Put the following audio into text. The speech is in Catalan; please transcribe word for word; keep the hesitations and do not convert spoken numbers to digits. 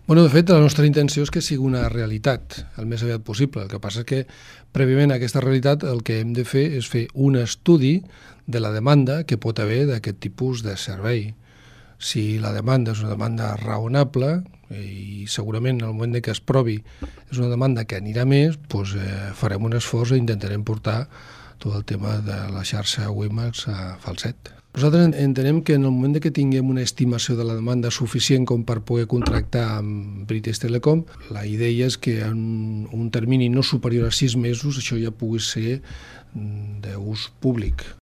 Bueno, de fet, la nostra intenció és que sigui una realitat el més aviat possible. El que passa és que, prèviament a aquesta realitat, el que hem de fer és fer un estudi de la demanda que pot haver d'aquest tipus de servei. Si la demanda és una demanda raonable, i segurament en el moment que es provi és una demanda que anirà més, doncs eh, farem un esforç i intentarem portar tot el tema de la xarxa WiMAX a Falset. Nosaltres entenem que en el moment que tinguem una estimació de la demanda suficient com per poder contractar amb British Telecom, la idea és que en un termini no superior a sis mesos això ja pugui ser d'ús públic.